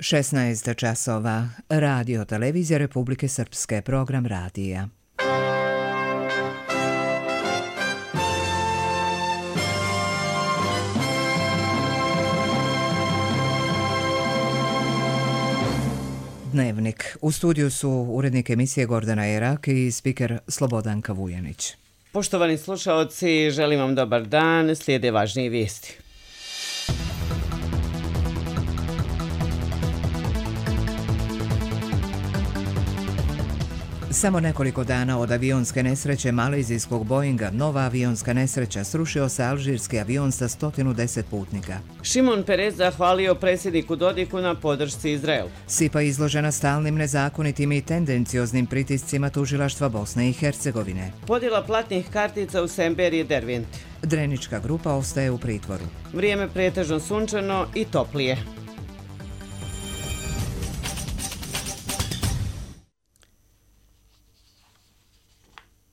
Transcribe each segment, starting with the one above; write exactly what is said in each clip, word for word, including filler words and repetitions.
šesnaest časova. Radio Televizija Republike Srpske, program radija. Dnevnik. U studiju su urednik emisije Gordana Erak i spiker Slobodanka Vujanić. Poštovani slušaoci, želim vam dobar dan, slijede važnije vijesti. Samo nekoliko dana od avionske nesreće malezijskog Boeinga, nova avionska nesreća, srušio se alžirski avion sa sto deset putnika. Šimon Perez zahvalio predsjedniku Dodiku na podršci Izraelu. Sipa izložena stalnim nezakonitim i tendencioznim pritiscima tužilaštva Bosne i Hercegovine. Podjela platnih kartica u Semberije Derventi. Drenička grupa ostaje u pritvoru. Vrijeme pretežno sunčano i toplije.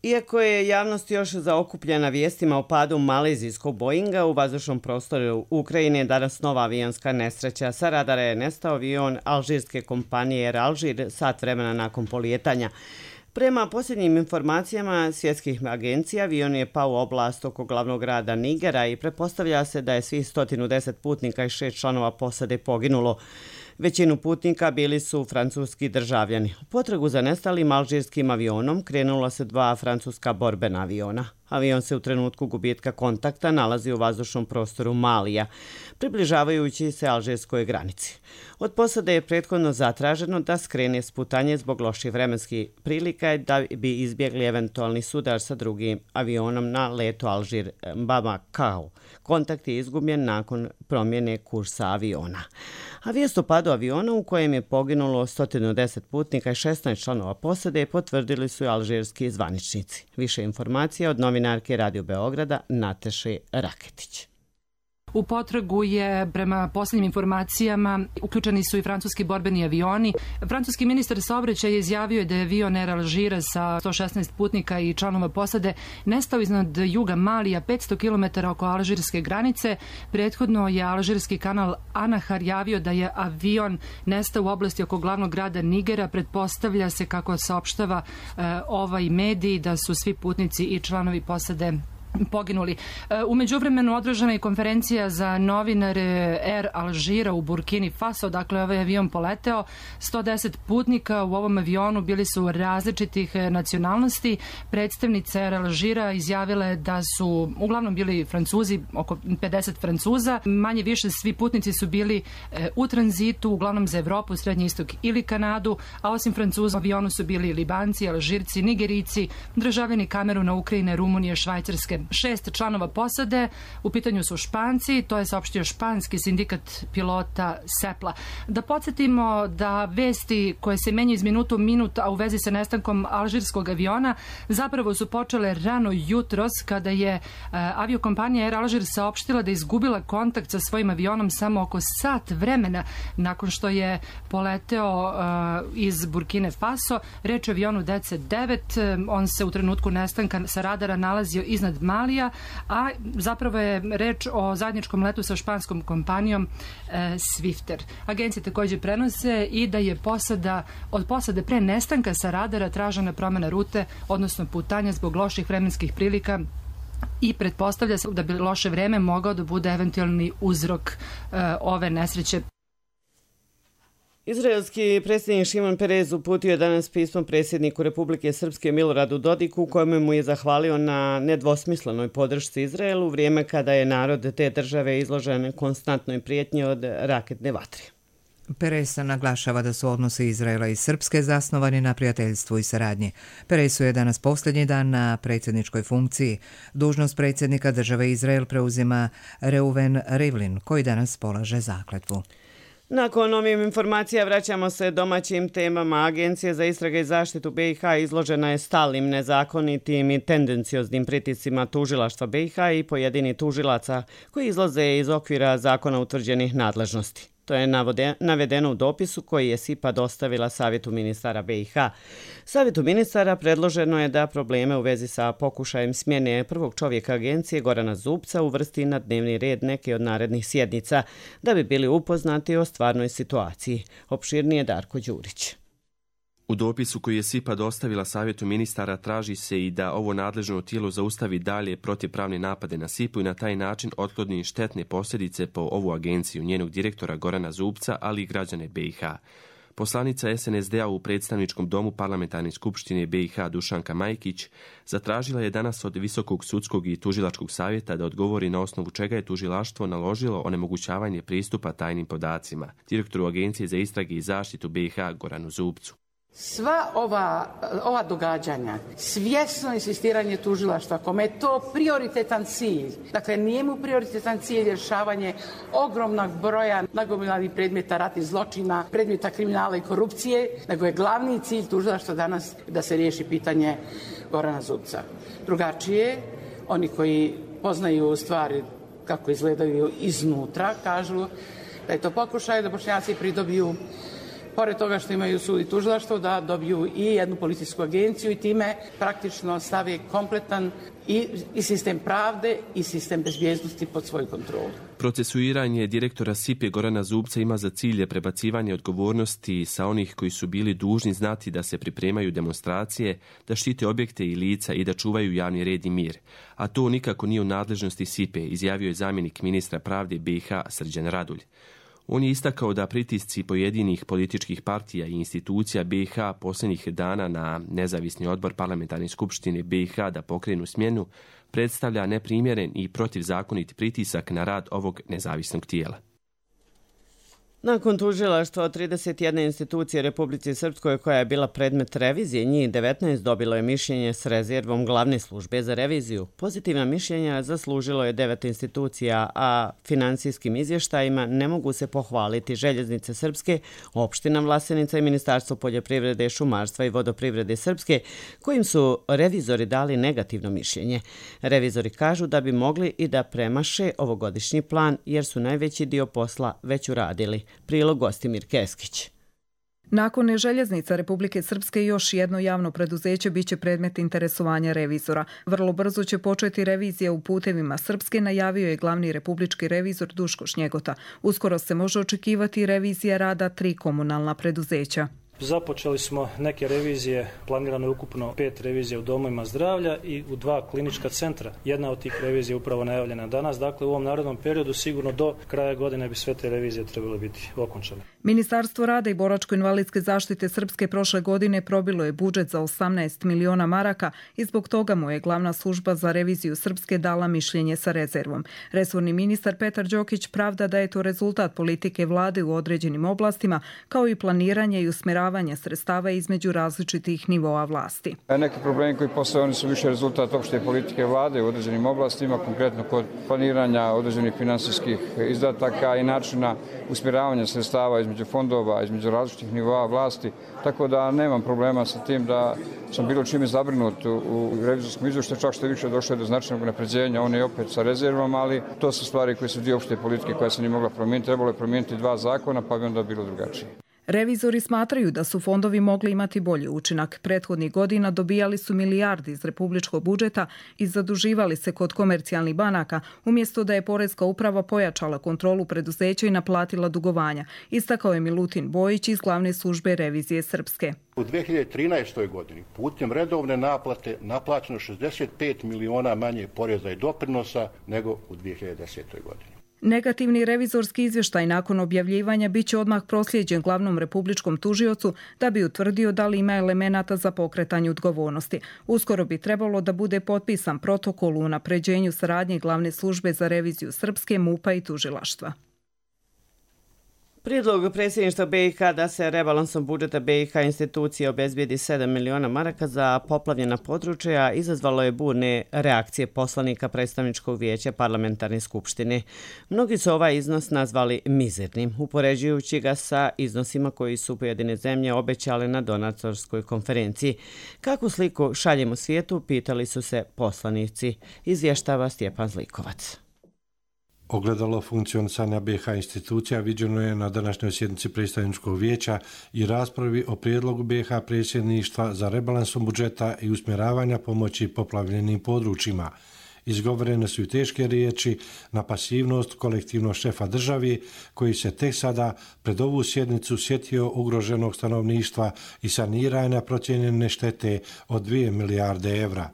Iako je javnost još zaokupljena vijestima o padu malezijskog Boeinga u vazdušnom prostoru Ukrajine, danas nova avionska nesreća. Sa radara je nestao avion alžirske kompanije Air Alžir sat vremena nakon polijetanja. Prema posljednjim informacijama svjetskih agencija, avion je pao u oblast oko glavnog grada Nigera i pretpostavlja se da je svih sto deset putnika i šest članova posade poginulo. Većinu putnika bili su francuski državljani. U potragu za nestalim alžirskim avionom krenula se dva francuska borbena aviona. Avion se u trenutku gubitka kontakta nalazi u vazdušnom prostoru Malija, približavajući se alžirskoj granici. Od posade je prethodno zatraženo da skrene s putanje zbog loših vremenskih prilika da bi izbjegli eventualni sudar sa drugim avionom na letu Alžir-Bamako. Kontakt je izgubljen nakon promjene kursa aviona. A vijest o padu aviona u kojem je poginulo sto deset putnika i šesnaest članova posade potvrdili su i alžirski zvaničnici. Više informacija od novinarke Radio Beograda Nateše Raketić. U potragu je, prema posljednjim informacijama, uključeni su i francuski borbeni avioni. Francuski ministar saobraćaja izjavio je da je avion Air Alžira sa sto šesnaest putnika i članova posade nestao iznad juga Malija, petsto kilometara oko alžirske granice. Prethodno je alžirski kanal Anahar javio da je avion nestao u oblasti oko glavnog grada Nigera. Pretpostavlja se, kako saopštava e, ovaj medij, da su svi putnici i članovi posade poginuli. U međuvremenu održana je konferencija za novinare Air Alžira u Burkini Faso, dakle ovaj avion poleteo. sto deset putnika u ovom avionu bili su različitih nacionalnosti. Predstavnica Air Alžira izjavila je da su uglavnom bili Francuzi, oko pedeset Francuza. Manje više svi putnici su bili u tranzitu, uglavnom za Evropu, Srednji istok ili Kanadu, a osim Francuza u avionu su bili Libanci, Alžirci, Nigerici, državljani Kameruna, Ukrajine, Rumunije, Švajcarske. Šest članova posade, u pitanju su Španci, to je saopštio španski sindikat pilota Sepla. Da podsjetimo da vesti koje se menjaju iz minuta u minut, a u vezi sa nestankom alžirskog aviona, zapravo su počele rano jutros, kada je uh, aviokompanija Air Alžir saopštila da je izgubila kontakt sa svojim avionom samo oko sat vremena nakon što je poleteo uh, iz Burkine Faso. Reč o avionu D C devet, on se u trenutku nestanka sa radara nalazio iznad Malija, a zapravo je reč o zajedničkom letu sa španskom kompanijom e, Swifter. Agencije također prenose i da je posada, od posade pre nestanka sa radara tražena promjena rute, odnosno putanja zbog loših vremenskih prilika, i pretpostavlja se da bi loše vreme mogao da bude eventualni uzrok e, ove nesreće. Izraelski predsjednik Šimon Perez uputio je danas pismo predsjedniku Republike Srpske Miloradu Dodiku, u kojem mu je zahvalio na nedvosmislenoj podršci Izraelu u vrijeme kada je narod te države izložen konstantnoj prijetnji od raketne vatre. Perez naglašava da su odnosi Izraela i Srpske zasnovani na prijateljstvu i saradnji. Perezu je danas posljednji dan na predsjedničkoj funkciji. Dužnost predsjednika države Izrael preuzima Reuven Rivlin, koji danas polaže zakletvu. Nakon ovih informacija vraćamo se domaćim temama. Agencija za istrage i zaštitu B i H izložena je stalnim, nezakonitim i tendencioznim pritiscima tužilaštva B i H i pojedini tužilaca koji izlaze iz okvira zakona utvrđenih nadležnosti. To je navedeno u dopisu koji je S I P A dostavila Savjetu ministara B i H. Savjetu ministara predloženo je da probleme u vezi sa pokušajem smjene prvog čovjeka agencije Gorana Zubca uvrsti na dnevni red neke od narednih sjednica, da bi bili upoznati o stvarnoj situaciji. Opširnije Darko Đurić. U dopisu koji je S I P A dostavila Savjetu ministara traži se i da ovo nadležno tijelo zaustavi dalje protivpravne napade na S I P A i na taj način otkloni štetne posljedice po ovu agenciju, njenog direktora Gorana Zubca, ali i građane B i H. Poslanica S N S D-a u predstavničkom domu Parlamentarne skupštine B i H Dušanka Majkić zatražila je danas od Visokog sudskog i tužilačkog savjeta da odgovori na osnovu čega je tužilaštvo naložilo onemogućavanje pristupa tajnim podacima direktoru Agencije za istrage i zaštitu B i H Goranu Zubcu. Sva ova, ova događanja, svjesno insistiranje tužilaštva, kome je to prioritetan cilj, dakle nije mu prioritetan cilj rješavanje ogromnog broja nagomilanih predmeta ratnih zločina, predmeta kriminala i korupcije, nego je glavni cilj tužilaštva danas da se riješi pitanje Gorana Zubca. Drugačije, oni koji poznaju stvari kako izgledaju iznutra, kažu da je to pokušaj da Bošnjaci pridobiju, pored toga što imaju sud i tužilaštvo, da dobiju i jednu policijsku agenciju i time praktično stave kompletan i, i sistem pravde i sistem bezbjednosti pod svoju kontrolu. Procesuiranje direktora S I P A Gorana Zubca ima za cilj prebacivanje odgovornosti sa onih koji su bili dužni znati da se pripremaju demonstracije, da štite objekte i lica i da čuvaju javni red i mir. A to nikako nije u nadležnosti S I P A, izjavio je zamjenik ministra pravde B i H Srđan Radulj. On je istakao da pritisci pojedinih političkih partija i institucija B i H posljednjih dana na nezavisni odbor Parlamentarne skupštine B i H da pokrenu smjenu predstavlja neprimjeren i protivzakonit pritisak na rad ovog nezavisnog tijela. Nakon tužilaštva od trideset jedne institucije Republici Srpskoj koja je bila predmet revizije, njih devetnaest dobilo je mišljenje s rezervom glavne službe za reviziju. Pozitivna mišljenja zaslužilo je devet institucija, a financijskim izvještajima ne mogu se pohvaliti Željeznice Srpske, opština Vlasenica i Ministarstvo poljoprivrede, šumarstva i vodoprivrede Srpske, kojim su revizori dali negativno mišljenje. Revizori kažu da bi mogli i da premaše ovogodišnji plan jer su najveći dio posla već uradili. Prilog Gostimir Keskić. Nakon Željeznica Republike Srpske još jedno javno preduzeće biće predmet interesovanja revizora. Vrlo brzo će početi revizija u putevima Srpske, najavio je glavni republički revizor Duško Šnjegota. Uskoro se može očekivati revizija rada tri komunalna preduzeća. Započeli smo neke revizije, planirano je ukupno pet revizija u domovima zdravlja i u dva klinička centra. Jedna od tih revizija je upravo najavljena danas, dakle u ovom narodnom periodu sigurno do kraja godine bi sve te revizije trebale biti okončane. Ministarstvo rada i boračko-invalidske zaštite Srpske prošle godine probilo je budžet za osamnaest miliona maraka i zbog toga mu je glavna služba za reviziju Srpske dala mišljenje sa rezervom. Resorni ministar Petar Đokić pravda da je to rezultat politike vlade u određenim oblastima, kao i planiranje i usmjeravanje sredstava između različitih nivoa vlasti. Neki problemi koji postoje, oni su više rezultat opšte politike vlade u određenim oblastima, konkretno kod planiranja određenih finansijskih izdataka i načina usmjeravanja sredstava između fondova, između različitih nivoa vlasti, tako da nemam problema sa tim da sam bilo čime zabrinut u revizorskom izvještaju, čak što je više došlo do značajnog napređenja, on je opet sa rezervom, ali to su stvari koje su dio opšte politike koja se nije mogla promijeniti, trebalo je promijeniti dva zakona, pa bi onda bilo drugačije. Revizori smatraju da su fondovi mogli imati bolji učinak. Prethodnih godina dobijali su milijardi iz republičkog budžeta i zaduživali se kod komercijalnih banaka, umjesto da je Poreska uprava pojačala kontrolu preduzeća i naplatila dugovanja, istakao je Milutin Bojić iz glavne službe revizije Srpske. U dvije hiljade trinaestoj. godini putem redovne naplate naplaćeno šezdeset pet miliona manje poreza i doprinosa nego u dvije hiljade desetoj. godini. Negativni revizorski izvještaj nakon objavljivanja biće odmah proslijeđen glavnom republičkom tužiocu da bi utvrdio da li ima elemenata za pokretanje odgovornosti. Uskoro bi trebalo da bude potpisan protokol u unapređenju saradnje glavne službe za reviziju Srpske, MUP-a i tužilaštva. Prijedlog predsjedništva B i H da se rebalansom budžeta B i H institucije obezbijedi sedam miliona maraka za poplavljena područja izazvalo je burne reakcije poslanika predstavničkog vijeća Parlamentarne skupštine. Mnogi su ovaj iznos nazvali mizernim, upoređujući ga sa iznosima koji su pojedine zemlje obećale na donatorskoj konferenciji. Kakvu sliku šaljemo svijetu, pitali su se poslanici, izvještava Stjepan Zlikovac. Ogledalo funkcionisanja B i H institucija viđeno je na današnjoj sjednici predstavničkog vijeća i raspravi o prijedlogu B i H predsjedništva za rebalansom budžeta i usmjeravanja pomoći poplavljenim područjima. Izgovorene su i teške riječi na pasivnost kolektivnog šefa državi koji se tek sada pred ovu sjednicu sjetio ugroženog stanovništva i saniranja procijenjene štete od dvije milijarde evra.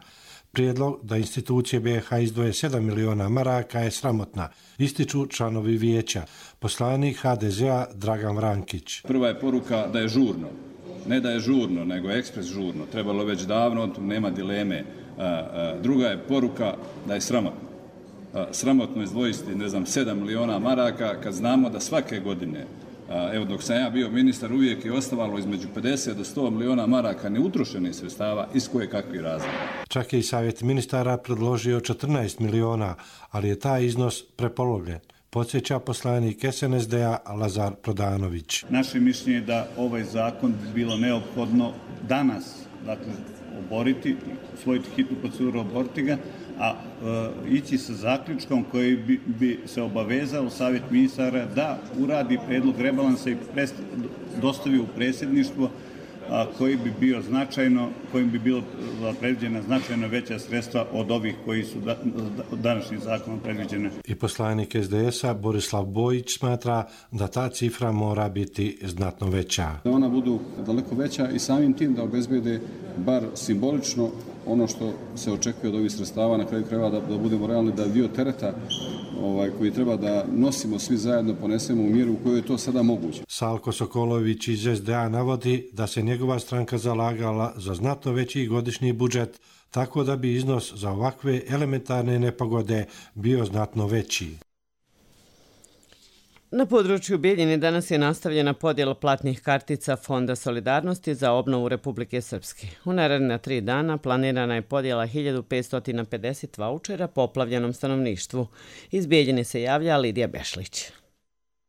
Prijedlog da institucije B i H izdvoje sedam miliona maraka je sramotna, ističu članovi vijeća. Poslanik H D Z-a Dragan Vrankić. Prva je poruka da je žurno. Ne da je žurno, nego ekspres žurno. Trebalo već davno, nema dileme. Druga je poruka da je sramotno. Sramotno izdvojiti, ne znam, sedam miliona maraka kad znamo da svake godine, evo dok sam ja bio ministar, uvijek je ostavalo između pedeset do sto miliona maraka neutrošenih sredstava iz koje kakvih razloga. Čak je i savjet ministara predložio četrnaest miliona, ali je taj iznos prepolovljen. Podsjeća poslanik S N S D-a Lazar Prodanović. Naše mišljenje je da ovaj zakon bi bilo neophodno danas, dakle, oboriti, usvojiti hitnu proceduru, oboriti ga, a e, ići sa zaključkom koji bi, bi se obavezao savjet ministara da uradi predlog rebalansa i prest, dostavi u predsjedništvo, a, koji bi bio značajno, kojim bi bilo predviđena značajno veća sredstva od ovih koji su da, današnjim zakonom predviđene. I poslanik S D S-a Borislav Bojić smatra da ta cifra mora biti znatno veća. Da ona budu daleko veća i samim tim da obezbede bar simbolično ono što se očekuje od ovih sredstava, na kraju krajeva da, da budemo realni, da dio tereta ovaj, koji treba da nosimo svi zajedno ponesemo u mjeru u kojoj je to sada moguće. Salko Sokolović iz S D A navodi da se njegova stranka zalagala za znatno veći godišnji budžet, tako da bi iznos za ovakve elementarne nepogode bio znatno veći. Na području Bijeljine danas je nastavljena podjela platnih kartica Fonda solidarnosti za obnovu Republike Srpske. U naredna tri dana planirana je podjela hiljadu petsto pedeset vaučera poplavljenom stanovništvu. Iz Bijeljine se javlja Lidija Bešlić.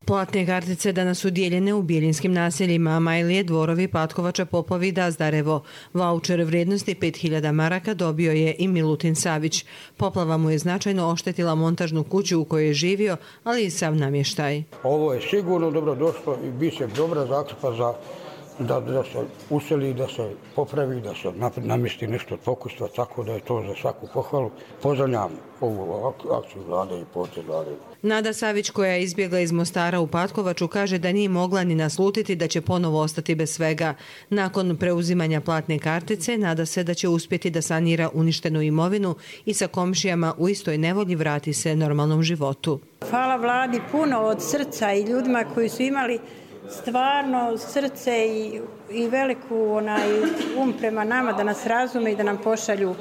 Platne kartice danas su dijeljene u bijelinskim naseljima Majlije, Dvorovi, Patkovača, Popovi, Dazdarevo. Vaučer vrijednosti pet hiljada maraka dobio je i Milutin Savić. Poplava mu je značajno oštetila montažnu kuću u kojoj je živio, ali i sav namještaj. Ovo je sigurno dobro došlo i bit će dobra zakrpa za da, da se useli, da se popravi, da se namjesti nešto od pokustva, tako da je to za svaku pohvalu. Pozdravljam ovu akciju vlade i potez vlade. Nada Savić, koja je izbjegla iz Mostara u Patkovaču, kaže da nije mogla ni naslutiti da će ponovo ostati bez svega. Nakon preuzimanja platne kartice, nada se da će uspjeti da sanira uništenu imovinu i sa komšijama u istoj nevolji vrati se normalnom životu. Hvala vladi puno od srca i ljudima koji su imali stvarno srce i, i veliku onaj um prema nama da nas razume i da nam pošalju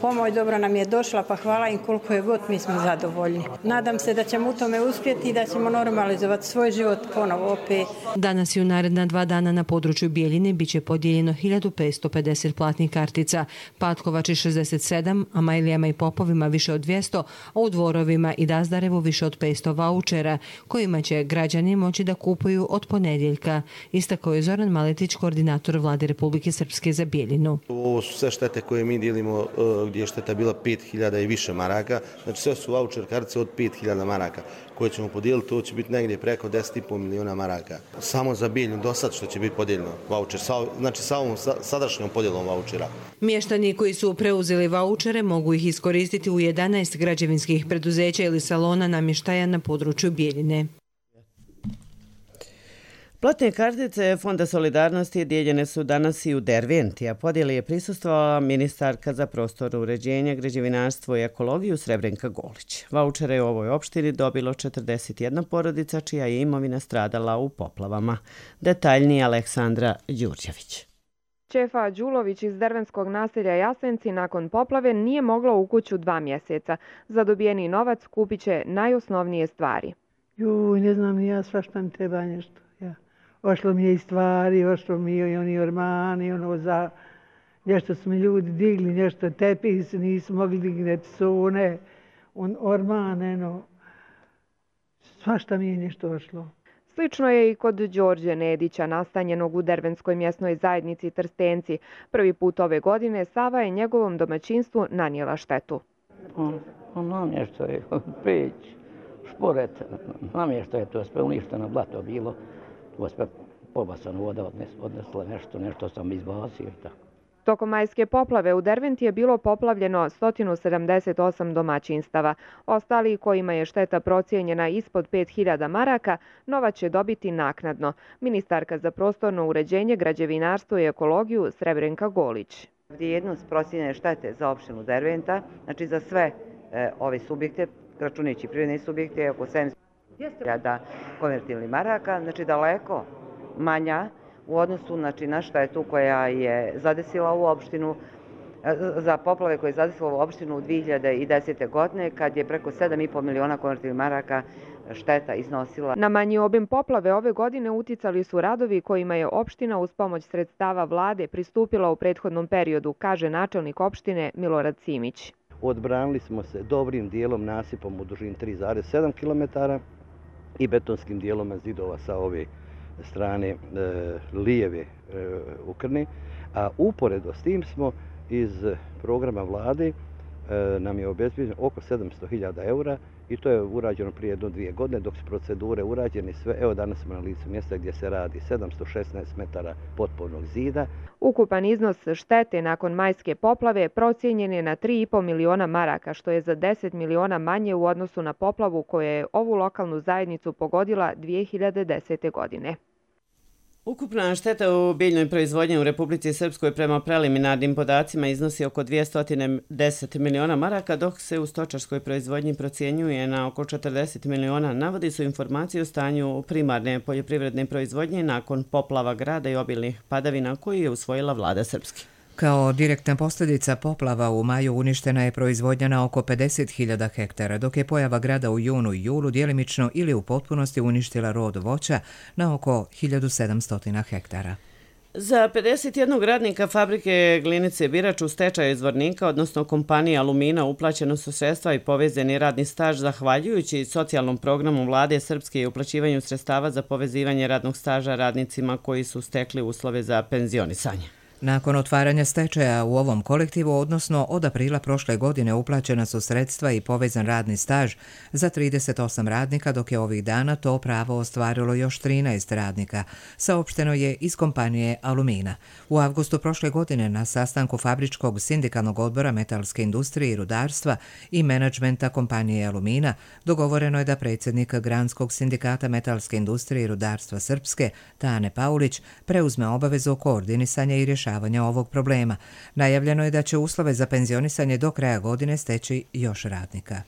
pomoć. Dobro nam je došla, pa hvala im koliko je god, mi smo zadovoljni. Nadam se da ćemo u tome uspjeti i da ćemo normalizovati svoj život ponovo opet. Danas i u naredna dva dana na području Bijeljine biće podijeljeno hiljadu petsto pedeset platnih kartica, Patkovači šezdeset sedam, a Majlijama i Popovima više od dvjesto, a u Dvorovima i Dazdarevu više od petsto vaučera, kojima će građani moći da kupuju od ponedjeljka. Istakao je Zoran Maletić, koordinator vlade Republike Srpske za Bijeljinu. Ovo su sve štete koje mi dijelimo gdje je šteta bila pet hiljada i više maraka. Znači sve su vaučer kartice od pet hiljada maraka koje ćemo podijeliti. To će biti negdje preko deset i pol miliona maraka. Samo za Bijeljinu do sad što će biti podijeljeno vaučer. Znači sa ovom sadašnjom podjelom vaučera. Mještani koji su preuzeli vaučere mogu ih iskoristiti u jedanaest građevinskih preduzeća ili salona namještaja na području Bijeljine. Platne kartice Fonda solidarnosti dijeljene su danas i u Derventi, a podjeli je prisustvovala ministarka za prostor, uređenje, građevinarstvo i ekologiju Srebrenka Golić. Vaučere je u ovoj opštini dobilo četrdeset jedna porodica čija je imovina stradala u poplavama. Detaljnije Aleksandra Đurđević. Čefa Đulović iz dervenskog naselja Jasenci nakon poplave nije mogla u kuću dva mjeseca. Za dobijeni novac kupit će najosnovnije stvari. Juj, ne znam ni ja, svašta mi treba nešto. Ja. Ošlo mi je i stvari, ošlo mi je i oni ormani, ono za... Nešto su mi ljudi digli, nešto tepih, nisu mogli digneti sone, on, ormane, no... Svašta mi je nešto ošlo. Slično je i kod Đorđe Nedića, nastanjenog u dervenskoj mjesnoj zajednici Trstenci. Prvi put ove godine Sava je njegovom domaćinstvu nanijela štetu. Ono nešto je peć, pored namještaja, to je sve uništeno, blato bilo, to je sve pobasano, voda odnesla nešto, nešto sam izbacio i tako. Tokom majske poplave u Derventi je bilo poplavljeno sto sedamdeset osam domaćinstava. Ostali kojima je šteta procijenjena ispod pet hiljada maraka, novac će dobiti naknadno. Ministarka za prostorno uređenje, građevinarstvo i ekologiju Srebrenka Golić. Vrijednost procijenjene štete za opštinu Derventa, znači za sve e, ove subjekte, računajući privredne subjekte, je oko sedamsto hiljada konvertibilnih maraka, znači daleko manja u odnosu znači, na štetu koja je zadesila ovu opštinu, za poplave koje je zadesila ovu opštinu u dvije hiljade desete. godine, kad je preko sedam i po miliona konvertibilnih maraka šteta iznosila. Na manji obim poplave ove godine uticali su radovi kojima je opština uz pomoć sredstava vlade pristupila u prethodnom periodu, kaže načelnik opštine Milorad Simić. Odbranili smo se dobrim dijelom nasipom u dužini tri zarez sedam kilometara i betonskim dijelom zidova sa ove strane e, lijeve e, Ukrne, a uporedo s tim smo iz programa vlade e, nam je obezbijeđeno oko sedamsto hiljada eura i to je urađeno prije jedno dvije godine, dok su procedure urađene sve. Evo danas smo na licu mjesta gdje se radi sedamsto šesnaest metara potpornog zida. Ukupan iznos štete nakon majske poplave procijenjen je na tri i po miliona maraka, što je za deset miliona manje u odnosu na poplavu koja je ovu lokalnu zajednicu pogodila dvije hiljade desete. godine. Ukupna šteta u biljnoj proizvodnji u Republici Srpskoj prema preliminarnim podacima iznosi oko dvjesto deset miliona maraka, dok se u stočarskoj proizvodnji procjenjuje na oko četrdeset miliona. Navodi su informacije o stanju primarne poljoprivredne proizvodnje nakon poplava grada i obilnih padavina koji je usvojila vlada Srpske. Kao direktna posljedica poplava u maju uništena je proizvodnja na oko pedeset hiljada hektara, dok je pojava grada u junu i julu djelimično ili u potpunosti uništila rod voća na oko hiljadu sedamsto hektara. Za pedeset jednog radnika fabrike Glinice Birač u stečaju Zvornika, odnosno kompanije Alumina, uplaćeno su sredstva i povezani radni staž zahvaljujući socijalnom programu vlade Srpske i uplaćivanju sredstava za povezivanje radnog staža radnicima koji su stekli uslove za penzionisanje. Nakon otvaranja stečaja u ovom kolektivu, odnosno od aprila prošle godine, uplaćena su sredstva i povezan radni staž za trideset osam radnika, dok je ovih dana to pravo ostvarilo još trinaest radnika, saopšteno je iz kompanije Alumina. U avgustu prošle godine na sastanku Fabričkog sindikalnog odbora metalske industrije i rudarstva i menadžmenta kompanije Alumina dogovoreno je da predsjednik Granskog sindikata metalske industrije i rudarstva Srpske, Tane Paulić, preuzme obavezu koordinisanja i rješavanja ovog problema. Najavljeno je da će uslove za penzionisanje do kraja godine steći još radnika.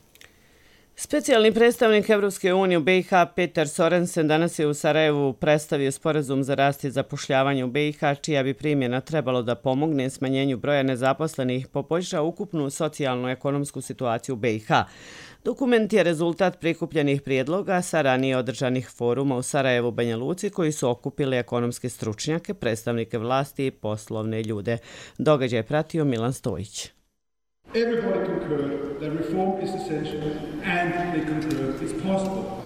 Specijalni predstavnik Evropske unije u B i H Peter Sorensen danas je u Sarajevu predstavio sporazum za rast i zapošljavanje u B i H, čija bi primjena trebalo da pomogne smanjenju broja nezaposlenih, poboljša ukupnu socijalno-ekonomsku situaciju u B i H. Dokument je rezultat prikupljenih prijedloga sa ranije održanih foruma u Sarajevu, Banja Luci, koji su okupili ekonomske stručnjake, predstavnike vlasti i poslovne ljude. Događaj je pratio Milan Stojić.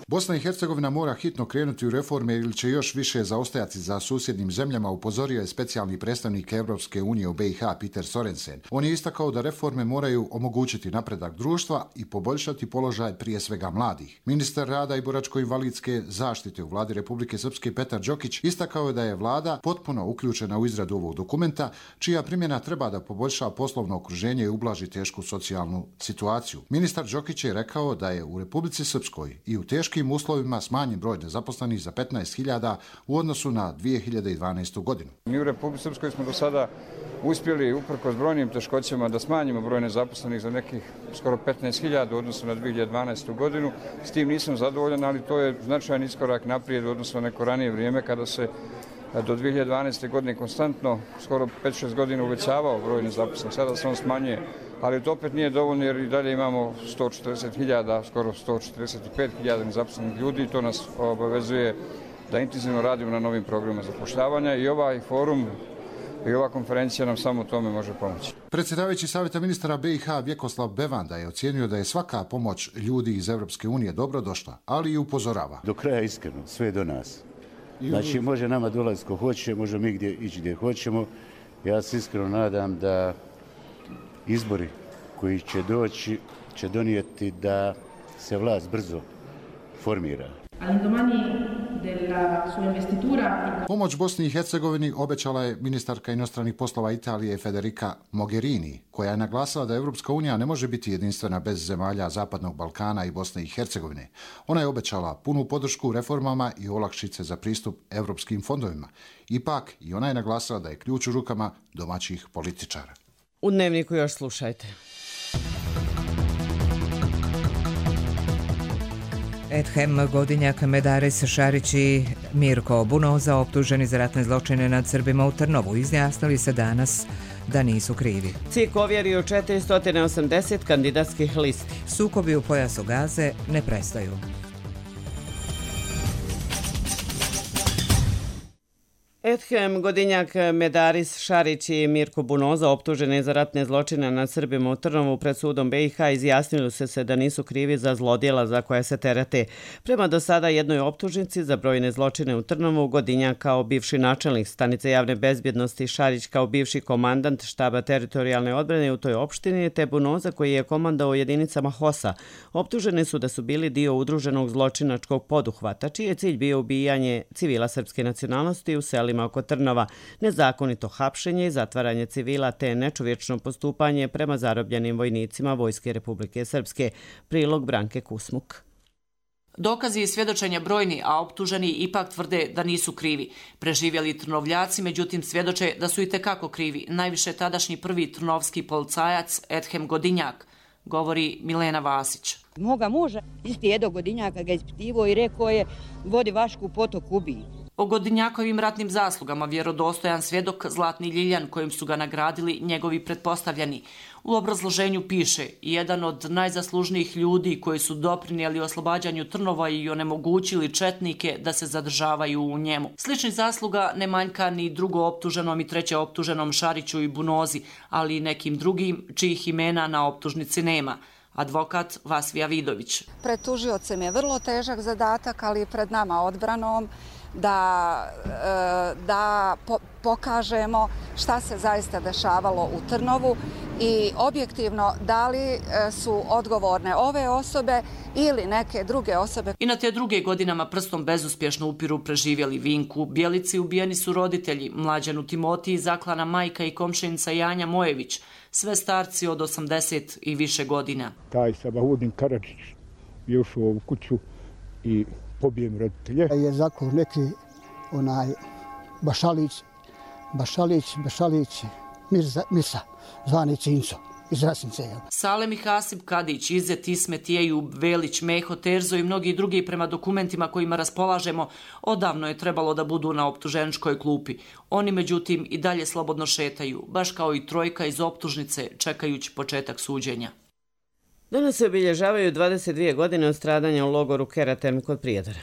Bosna i Hercegovina mora hitno krenuti u reforme ili će još više zaostajati za susjednim zemljama, upozorio je specijalni predstavnik Evropske unije u B i H Peter Sorensen. On je istakao da reforme moraju omogućiti napredak društva i poboljšati položaj prije svega mladih. Ministar rada i boračko-invalidske zaštite u vladi Republike Srpske Petar Đokić istakao je da je vlada potpuno uključena u izradu ovog dokumenta, čija primjena treba da poboljša poslovno okruženje i ublaži tešku socijalnu situaciju. Ministar Đokić je rekao da je u Republici Srpskoj i u teškim uslovima smanjen broj nezaposlenih za petnaest hiljada u odnosu na dvije hiljade dvanaestu. godinu. Mi u Republici Srpskoj smo do sada uspjeli, uprkos brojnim teškoćama, da smanjimo broj nezaposlenih za nekih skoro petnaest hiljada u odnosu na dvije hiljade dvanaestu. godinu. S tim nisam zadovoljan, ali to je značajan iskorak naprijed u odnosu na neko ranije vrijeme kada se do dvije hiljade dvanaeste. godine konstantno, skoro pet šest godina uvećavao broj nezaposlenih. Sada se on smanjuje, ali to opet nije dovoljno jer i dalje imamo sto četrdeset hiljada, skoro sto četrdeset pet hiljada nezaposlenih ljudi i to nas obavezuje da intenzivno radimo na novim programima zapošljavanja i ovaj forum i ova konferencija nam samo tome može pomoći. Predsjedavajući savjeta ministara B i H Vjekoslav Bevanda je ocijenio da je svaka pomoć ljudi iz Evropske unije dobro došla, ali i upozorava. Do kraja iskreno, sve do nas. Znači, može nama dolaziti ko hoće, može mi gdje ići gdje hoćemo. Ja se iskreno nadam da izbori koji će doći će donijeti da se vlast brzo reformira. Pomoć Bosni i Hercegovini obećala je ministarka inostranih poslova Italije Federica Mogherini, koja je naglasila da Evropska unija ne može biti jedinstvena bez zemalja Zapadnog Balkana i Bosne i Hercegovine. Ona je obećala punu podršku reformama i olakšice za pristup evropskim fondovima. Ipak, i ona je naglasila da je ključ u rukama domaćih političara. U Dnevniku još slušajte. Edhem Godinjak, Medaris Šarić i Mirko Bunoza, optuženi za ratne zločine nad Srbima u Trnovu, izjasnili se danas da nisu krivi. C I K ovjerio četiristo osamdeset kandidatskih listi. Sukobi u pojasu Gaze ne prestaju. Edhem Godinjak, Medaris Šarić i Mirko Bunoza, optuženi za ratne zločine nad Srbima u Trnovu pred sudom B i H, izjasnili su se da nisu krivi za zlodjela za koje se terete. Prema do sada jednoj optužnici za brojne zločine u Trnovu, Godinjak kao bivši načelnik stanice javne bezbjednosti, Šarić kao bivši komandant štaba teritorijalne odbrane u toj opštini, te Bunoza koji je komandao jedinicama H O S-a, optuženi su da su bili dio udruženog zločinačkog poduhvata, čiji je cilj bio ubijanje civila srpske nacionalnosti u selima oko Trnova, nezakonito hapšenje i zatvaranje civila te nečovječno postupanje prema zarobljenim vojnicima Vojske Republike Srpske. Prilog Branke Kusmuk. Dokazi i svjedočenja brojni, a optuženi ipak tvrde da nisu krivi. Preživjeli trnovljaci, međutim, svjedoče da su i tekako krivi. Najviše tadašnji prvi trnovski policajac Edhem Godinjak, govori Milena Vasić. Moga muža isti Edo Godinjaka ga ispitivo i rekao je vodi Vašku potok ubiji. O Godinjakovim ratnim zaslugama vjerodostojan svjedok Zlatni Ljiljan, kojim su ga nagradili njegovi pretpostavljeni. U obrazloženju piše, jedan od najzaslužnijih ljudi koji su doprinijeli oslobađanju Trnova i onemogućili četnike da se zadržavaju u njemu. Sličnih zasluga ne manjka ni drugo optuženom i treće optuženom Šariću i Bunozi, ali i nekim drugim čijih imena na optužnici nema. Advokat Vasvija Vidović. Pred tužiocem je vrlo težak zadatak, ali pred nama odbranom da, da pokažemo šta se zaista dešavalo u Trnovu i objektivno da li su odgovorne ove osobe ili neke druge osobe. I na te druge godinama prstom bezuspješno upiru preživjeli Vinku. Bjelici ubijeni su roditelji, Mlađanu Timotiji zaklana majka i komšenica Janja Mojević, sve starci od osamdeset i više godina. Taj Sabahudin Karadžić je ušao u kuću i pobijem roditelje. Je zaklao neki onaj Bašalić, Bašalić, Bašalić, Mirza, Mirsa, zvani Cinco iz Rasince. Salem i Hasib Kadić, Izet Ismet, Jeju, Velić, Meho, Terzo i mnogi drugi prema dokumentima kojima raspolažemo odavno je trebalo da budu na optuženičkoj klupi. Oni međutim i dalje slobodno šetaju, baš kao i trojka iz optužnice čekajući početak suđenja. Danas se obilježavaju dvadeset dvije godine od stradanja u logoru Keraterm kod Prijedora.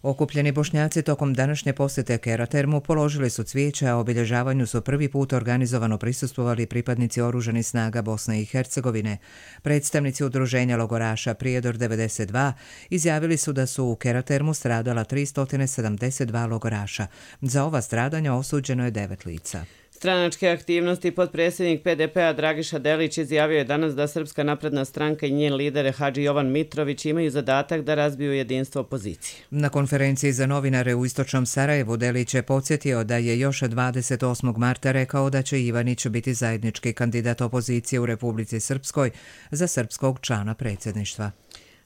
Okupljeni Bošnjaci tokom današnje posjete Keratermu položili su cvijeće, a obilježavanju su prvi put organizovano prisustvovali pripadnici oružanih snaga Bosne i Hercegovine. Predstavnici udruženja logoraša Prijedor devedeset dva izjavili su da su u Keratermu stradala tristo sedamdeset dva logoraša. Za ova stradanja osuđeno je devet lica. Stranačke aktivnosti potpredsjednik P D P-a Dragiša Delić izjavio je danas da Srpska napredna stranka i njen lider Hadži Jovan Mitrović imaju zadatak da razbiju jedinstvo opozicije. Na konferenciji za novinare u Istočnom Sarajevu Delić je podsjetio da je još dvadeset osmog marta rekao da će Ivanić biti zajednički kandidat opozicije u Republici Srpskoj za srpskog člana predsjedništva.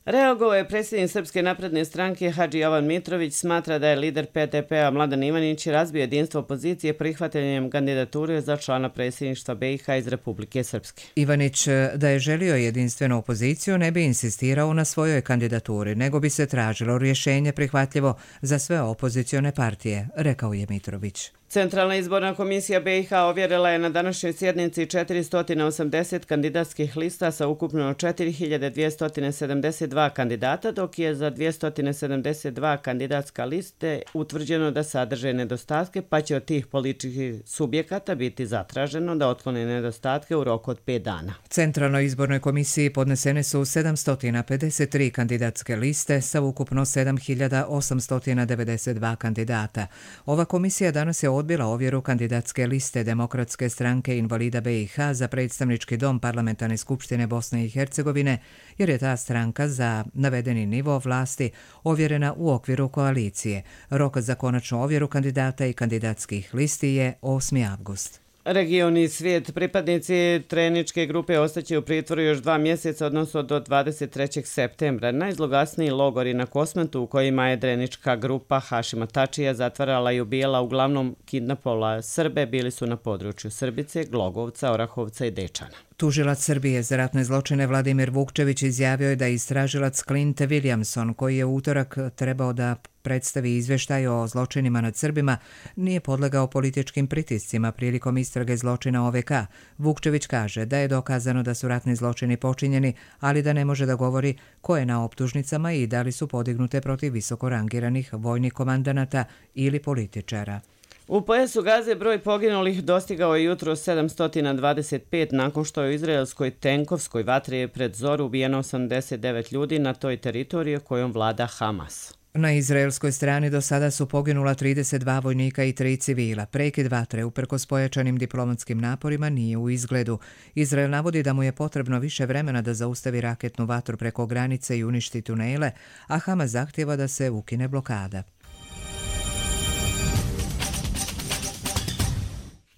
Reagovao je predsjednik Srpske napredne stranke Hadži Jovan Mitrović, smatra da je lider P D P-a Mladen Ivanić razbio jedinstvo opozicije prihvatanjem kandidature za člana predsjedništva B i H iz Republike Srpske. Ivanić da je želio jedinstvenu opoziciju ne bi insistirao na svojoj kandidaturi, nego bi se tražilo rješenje prihvatljivo za sve opozicione partije, rekao je Mitrović. Centralna izborna komisija B i H ovjerila je na današnjoj sjednici četiristo osamdeset kandidatskih lista sa ukupno četiri hiljade dvjesto sedamdeset dva kandidata, dok je za dvjesto sedamdeset dva kandidatska liste utvrđeno da sadrže nedostatke, pa će od tih političkih subjekata biti zatraženo da otklone nedostatke u roku od pet dana. Centralnoj izbornoj komisiji podnesene su sedamsto pedeset tri kandidatske liste sa ukupno sedam hiljada osamsto devedeset dva kandidata. Ova komisija danas je odbila ovjeru kandidatske liste Demokratske stranke invalida be i ha za predstavnički dom Parlamentarne skupštine Bosne i Hercegovine, jer je ta stranka za navedeni nivo vlasti ovjerena u okviru koalicije. Rok za konačnu ovjeru kandidata i kandidatskih listi je osmi avgust. Region i svijet, pripadnici treničke grupe ostaće u pritvoru još dva mjeseca, odnosno do dvadeset trećeg septembra. Najzloglasniji logori na Kosmetu u kojima je drenička grupa Hašima Tačija zatvarala i ubijala uglavnom kidnapovala Srbe bili su na području Srbice, Glogovca, Orahovca i Dečana. Tužilac Srbije za ratne zločine Vladimir Vukčević izjavio je da istražilac Clint Williamson, koji je u utorak trebao da predstavi izveštaj o zločinima nad Srbima, nije podlegao političkim pritiscima prilikom istrage zločina o ve ka. Vukčević kaže da je dokazano da su ratni zločini počinjeni, ali da ne može da govori ko je na optužnicama i da li su podignute protiv visoko rangiranih vojnih komandanata ili političara. U pojasu Gaze broj poginulih dostigao je jutro sedamsto dvadeset pet nakon što je u izraelskoj tenkovskoj vatri pred zoru ubijeno osamdeset devet ljudi na toj teritoriji kojom vlada Hamas. Na izraelskoj strani do sada su poginula trideset dva vojnika i tri civila. Prekid vatre, uprkos pojačanim diplomatskim naporima, nije u izgledu. Izrael navodi da mu je potrebno više vremena da zaustavi raketnu vatru preko granice i uništi tunele, a Hamas zahtjeva da se ukine blokada.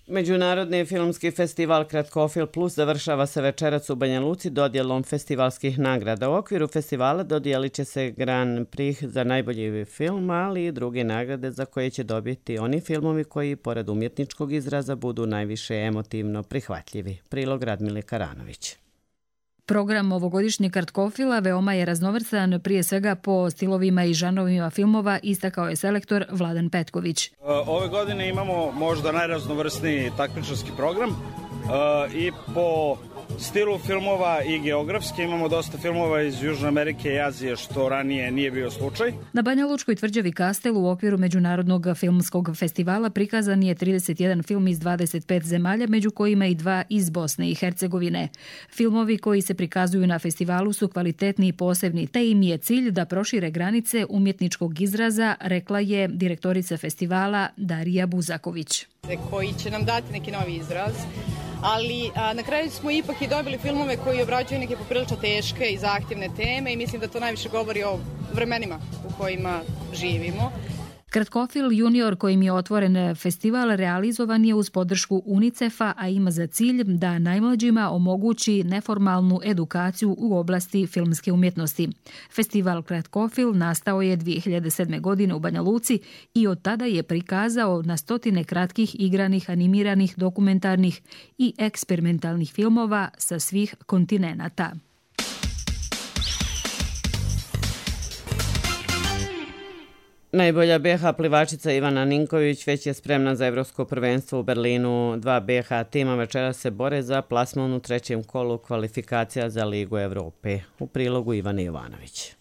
Međunarodni filmski festival Kratkofil Plus završava se večerac u Banja Luci dodjelom festivalskih nagrada. U okviru festivala dodijelit će se Grand Prix za najbolji film, ali i druge nagrade za koje će dobiti oni filmovi koji, pored umjetničkog izraza, budu najviše emotivno prihvatljivi. Prilog Radmile Karanović. Program ovogodišnjeg Kratkofila veoma je raznovrstan, prije svega po stilovima i žanrovima filmova, istakao je selektor Vladan Petković. Ove godine imamo možda najraznovrsniji takmičarski program i po stilu filmova i geografski imamo dosta filmova iz Južne Amerike i Azije, što ranije nije bio slučaj. Na Banja Lučkoj tvrđavi Kastel u okviru Međunarodnog filmskog festivala prikazan je trideset jedan film iz dvadeset pet zemalja, među kojima i dva iz Bosne i Hercegovine. Filmovi koji se prikazuju na festivalu su kvalitetni i posebni, te im je cilj da prošire granice umjetničkog izraza, rekla je direktorica festivala Darija Buzaković. Koji će nam dati neki novi izraz. Ali a, na kraju smo ipak i dobili filmove koji obrađuju neke poprilično teške i zahtjevne teme i mislim da to najviše govori o vremenima u kojima živimo. Kratkofil Junior, kojim je otvoren festival, realizovan je uz podršku UNICEF-a, a ima za cilj da najmlađima omogući neformalnu edukaciju u oblasti filmske umjetnosti. Festival Kratkofil nastao je dvije hiljade sedme. godine u Banja Luci i od tada je prikazao na stotine kratkih igranih, animiranih, dokumentarnih i eksperimentalnih filmova sa svih kontinenata. Najbolja be ha plivačica Ivana Ninković već je spremna za evropsko prvenstvo u Berlinu. Dva be ha tima večera se bore za plasman u trećem kolu kvalifikacija za Ligu Evrope. U prilogu Ivana Jovanović.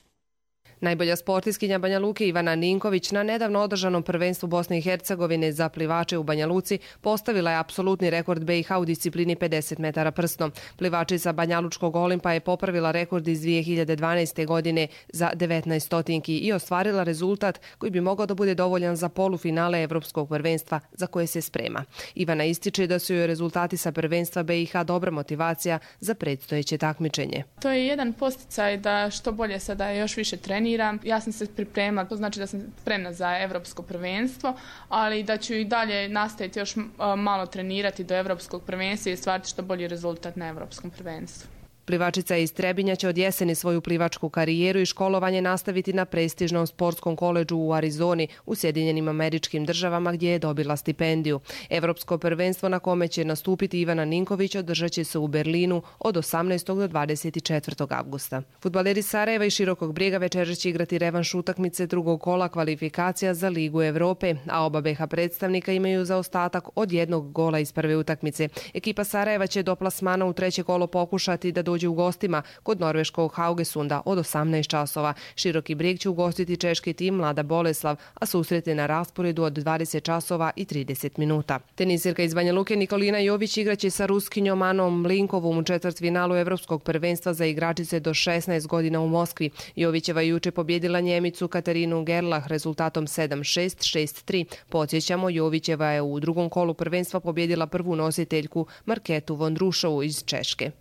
Najbolja sportistkinja Banja Luke Ivana Ninković na nedavno održanom prvenstvu Bosne i Hercegovine za plivače u Banja Luci postavila je apsolutni rekord be i ha u disciplini pedeset metara prstom. Plivačica Banja Lučkog Olimpa je popravila rekord iz dvije hiljade dvanaeste. godine za devetnaest stotinki i ostvarila rezultat koji bi mogao da bude dovoljan za polufinale evropskog prvenstva za koje se sprema. Ivana ističe da su joj rezultati sa prvenstva be i ha dobra motivacija za predstojeće takmičenje. To je jedan posticaj da što bolje sada još više treniram. Ja sam se pripremila, to znači da sam spremna za evropsko prvenstvo, ali da ću i dalje nastaviti još malo trenirati do evropskog prvenstva i stvariti što bolji rezultat na evropskom prvenstvu. Plivačica iz Trebinja će od jeseni svoju plivačku karijeru i školovanje nastaviti na prestižnom sportskom koledžu u Arizoni u Sjedinjenim Američkim Državama gdje je dobila stipendiju. Evropsko prvenstvo na kome će nastupiti Ivana Ninković održat će se u Berlinu od osamnaestog do dvadeset četvrtog avgusta. Fudbaleri Sarajeva i Širokog Brijega večeras će igrati revanš utakmice drugog kola kvalifikacija za Ligu Evrope, a oba be ha predstavnika imaju zaostatak od jednog gola iz prve utakmice. Ekipa Sarajeva će do plasmana u treće kolo pokušati da dođe u gostima kod norveškog Haugesunda od osamnaest časova. Široki Brijeg će ugostiti češki tim Mlada Boleslav, a susret je na rasporedu od dvadeset časova i trideset minuta. Tenisirka iz Banja Luke Nikolina Jović igraće sa Ruskinjom Anom Mlinkovom u četvrtfinalu Evropskog prvenstva za igračice do šesnaest godina u Moskvi. Jovićeva je juče pobjedila Njemicu Katarinu Gerlach rezultatom sedam šest, šest tri. Podsjećamo, Jovićeva je u drugom kolu prvenstva pobjedila prvu nositeljku Marketu Vondrušovu iz Češke.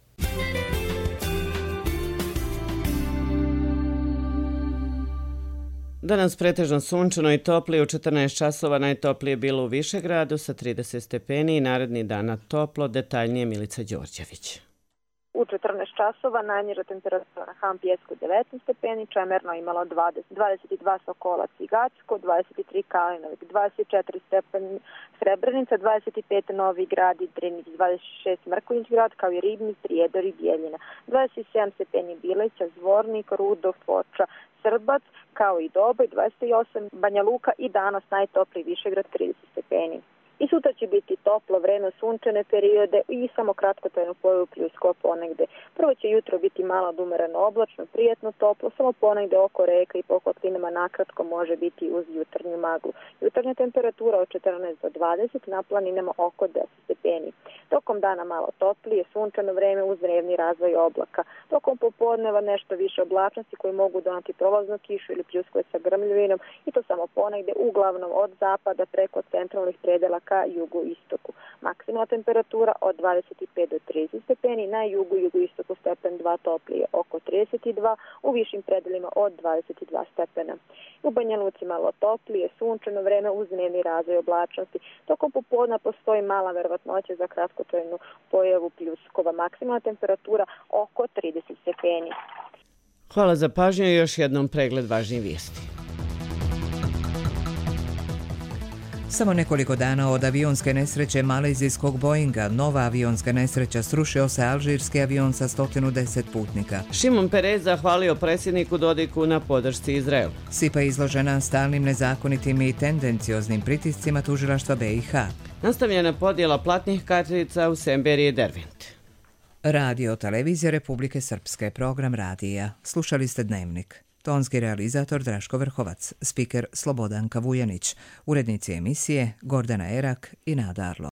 Danas pretežno sunčano i toplije, u četrnaest časova najtoplije bilo u Višegradu sa trideset stepeni i naredni dana toplo, detaljnije Milica Đorđević. U četrnaest časova najniža temperatura na Han Pjesku devetnaest stepeni, Čemerno imalo dvadeset, dvadeset dva Sokolac i Gacko, dvadeset tri Kalinovik, dvadeset četiri stepeni Srebrenica, dvadeset pet Novi Grad i Drinić, dvadeset šest Mrkonjić Grad, kao i Ribnik, Prijedor i Bijeljina, dvadeset sedam stepeni Bileća, Zvornik, Rudov, Foča, Srbac, kao i Doboj, dvadeset osam Banja Luka i danas najtopliji Višegrad trideset stepeni. I sutra će biti toplo vreme, sunčane periode i samo kratkotrajno pojavu pljuskova ponegde. Prvo će jutro biti malo odumereno oblačno, prijetno toplo, samo ponegde oko reka i po kotlinama nakratko može biti uz jutarnju maglu. Jutarnja temperatura od četrnaest do dvadeset, na planinama oko deset stepeni. Tokom dana malo toplije, sunčano vreme uz dnevni razvoj oblaka. Tokom popodneva nešto više oblačnosti koji mogu donati prolaznu kišu ili pljuskove sa grmljavinom i to samo ponegde, uglavnom od zapada preko centralnih predela ka jugoistoku. Maksimalna temperatura od dvadeset pet do trideset stepeni, na jugu i jugoistoku stepen dva toplije oko trideset dva, u višim predelima od dvadeset dva stepena. U Banja Luci malo toplije, sunčano vreme uz dnevni razvoj oblačnosti. Tokom popodna postoji mala verovatnoća za kratkotrajnu pojavu pljuskova. Maksimalna temperatura oko trideset stepeni. Hvala za pažnju i još jednom pregled važnijih vijesti. Samo nekoliko dana od avionske nesreće malezijskog Boeinga, nova avionska nesreća, srušio se alžirski avion sa sto deset putnika. Šimon Perez zahvalio predsjedniku Dodiku na podršci Izraelu. Sipa je izložena stalnim nezakonitim i tendencioznim pritiscima tužilaštva B i H. Nastavljena podjela platnih kartica u Semberiji i Dervent. Radio Televizija Republike Srpske, program radija. Slušali ste Dnevnik. Tonski realizator Draško Vrhovac, spiker Slobodanka Vujanić, urednici emisije Gordana Erak i Nada Arlo.